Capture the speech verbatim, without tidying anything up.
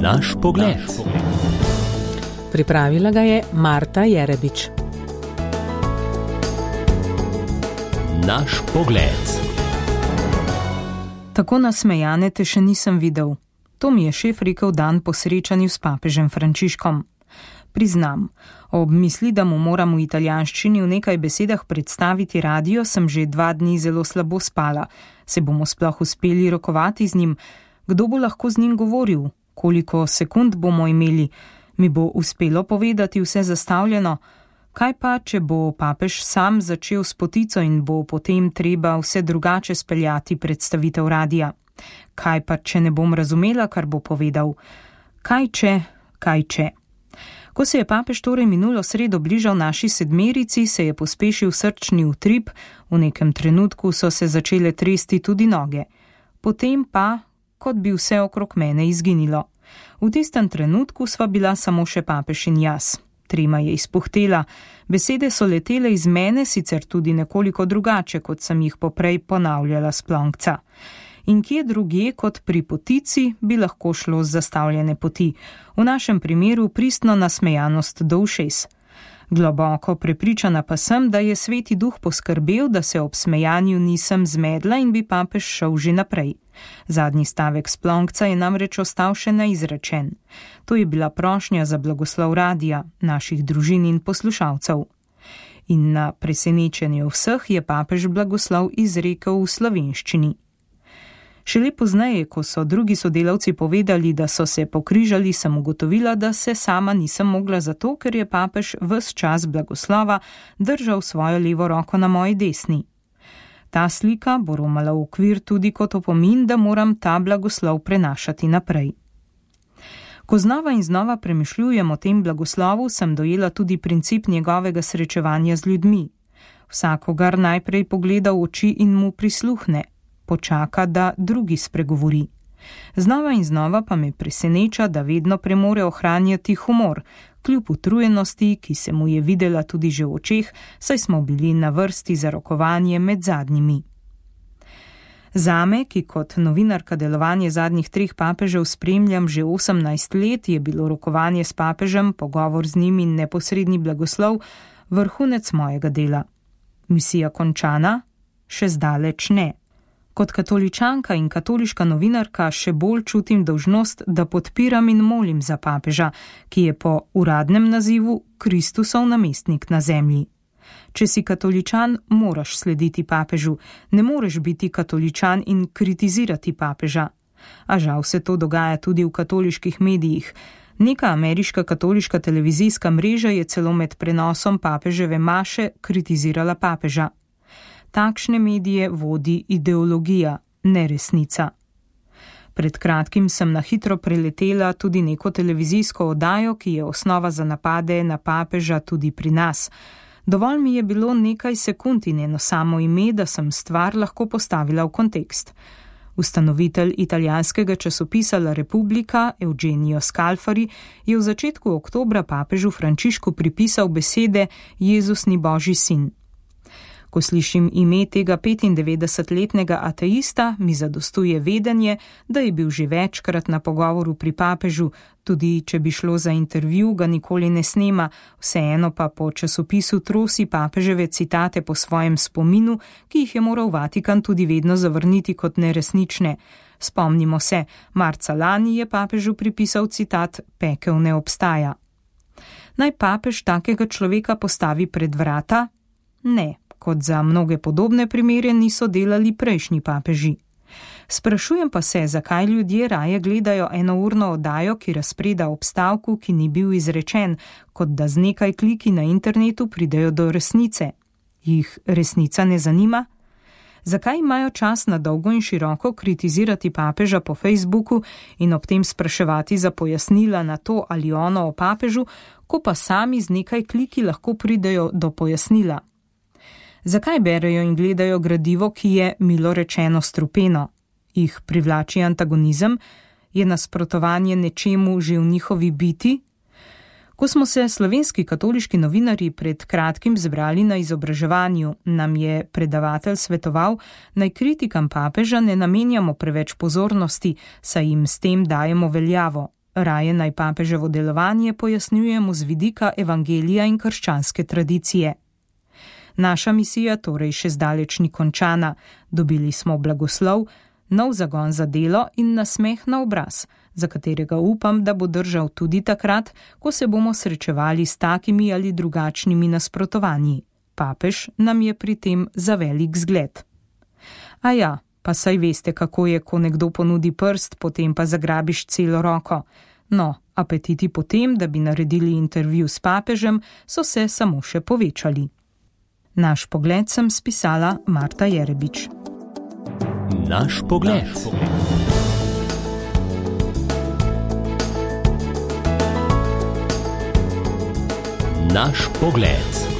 Naš pogled. Pripravila ga je Marta Jerebič. Naš pogled. Tako nasmejane te še nisem videl. To mi je šef rekel dan po srečanju s papežem Frančiškom. Priznam, ob misli, da mu moram v italijanščini v nekaj besedah predstaviti radio, sem že dva dni zelo slabo spala. Se bomo sploh uspeli rokovati z njim? Kdo bo lahko z njim govoril? Koliko sekund bomo imeli? Mi bo uspelo povedati vse zastavljeno? Kaj pa, če bo papež sam začel s potico in bo potem treba vse drugače speljati predstavitev radia? Kaj pa, če ne bom razumela, kar bo povedal? Kaj če, kaj če? Ko se je papež torej minulo sredo bližal naši sedmerici, se je pospešil srčni utrip, v nekem trenutku so se začele tresti tudi noge. Potem pa, kot bi vse okrog mene izginilo. V tistem trenutku sva bila samo še papež in jaz. Trima je izpuhtela, besede so letele iz mene, sicer tudi nekoliko drugače, kot sem jih poprej ponavljala s plonkca. In kje drugje kot pri potici bi lahko šlo z zastavljene poti, v našem primeru pristno nasmejanost do ušes. Globoko prepričana pa sem, da je Sveti Duh poskrbel, da se ob smejanju nisem zmedla in bi papež šel že naprej. Zadnji stavek splonkca je namreč ostal še neizrečen. To je bila prošnja za blagoslov radia, naših družin in poslušalcev. In na presenečenje vseh je papež blagoslov izrekel v slovenščini. Šele pozneje, ko so drugi sodelavci povedali, da so se pokrižali, sem ugotovila, da se sama nisem mogla zato, ker je papež ves čas blagoslova držal svojo levo roko na moji desni. Ta slika bo romala v okvir tudi kot opomin, da moram ta blagoslov prenašati naprej. Ko znova in znova premišljujem o tem blagoslovu, sem dojela tudi princip njegovega srečevanja z ljudmi. Vsakogar najprej pogleda v oči in mu prisluhne. Počaka, da drugi spregovori. Znova in znova pa me preseneča, da vedno premore ohranjati humor, kljub utrujenosti, ki se mu je videla tudi že v očeh, saj smo bili na vrsti za rokovanje med zadnjimi. Zame, ki kot novinarka delovanje zadnjih treh papežev spremljam že osemnajst let, je bilo rokovanje s papežem, pogovor z njim in neposredni blagoslov vrhunec mojega dela. Misija končana? Še zdaleč ne. Kot katoličanka in katoliška novinarka še bolj čutim dolžnost, da podpiram in molim za papeža, ki je po uradnem nazivu Kristusov namestnik na zemlji. Če si katoličan, moraš slediti papežu, ne moreš biti katoličan in kritizirati papeža. A žal se to dogaja tudi v katoliških medijih. Neka ameriška katoliška televizijska mreža je celo med prenosom papeževe maše kritizirala papeža. Takšne medije vodi ideologija, ne resnica. Pred kratkim sem na hitro preletela tudi neko televizijsko oddajo, ki je osnova za napade na papeža tudi pri nas. Dovolj mi je bilo nekaj sekund in eno samo ime, da sem stvar lahko postavila v kontekst. Ustanovitelj italijanskega časopisa La Repubblica, Eugenio Scalfari, je v začetku oktobra papežu Frančišku pripisal besede Jezus ni Božji sin. Ko slišim ime tega petindevetdesetletnega ateista, mi zadostuje vedenje, da je bil že večkrat na pogovoru pri papežu, tudi če bi šlo za intervju, ga nikoli ne snema, vseeno pa po časopisu trosi papeževe citate po svojem spominu, ki jih je moral Vatikan tudi vedno zavrniti kot neresnične. Spomnimo se, marca lani je papežu pripisal citat Pekel ne obstaja. Naj papež takega človeka postavi pred vrata? Ne. Kot za mnoge podobne primere niso delali prejšnji papeži. Sprašujem pa se, zakaj ljudje raje gledajo enourno oddajo, ki razpreda ob stavku, ki ni bil izrečen, kot da z nekaj kliki na internetu pridejo do resnice. Jih resnica ne zanima? Zakaj imajo čas na dolgo in široko kritizirati papeža po Facebooku in ob tem spraševati za pojasnila na to ali ono o papežu, ko pa sami z nekaj kliki lahko pridejo do pojasnila? Zakaj berejo in gledajo gradivo, ki je, milo rečeno, strupeno? Jih privlači antagonizem? Je nasprotovanje nečemu že v njihovi biti? Ko smo se slovenski katoliški novinarji pred kratkim zbrali na izobraževanju, nam je predavatelj svetoval, naj kritikam papeža ne namenjamo preveč pozornosti, saj jim s tem dajemo veljavo. raje naj papeževo delovanje pojasnjujemo z vidika evangelija in krščanske tradicije. Naša misija torej še zdaleč ni končana, dobili smo blagoslov, nov zagon za delo in nasmeh na obraz, za katerega upam, da bo držal tudi takrat, ko se bomo srečevali s takimi ali drugačnimi nasprotovanji. Papež nam je pri tem za velik zgled. A ja, pa saj veste, kako je, ko nekdo ponudi prst, potem pa zagrabiš celo roko. No, apetiti potem, da bi naredili intervju s papežem, so se samo še povečali. Naš pogled sem spisala Marta Jerebič. Naš pogled. Naš pogled.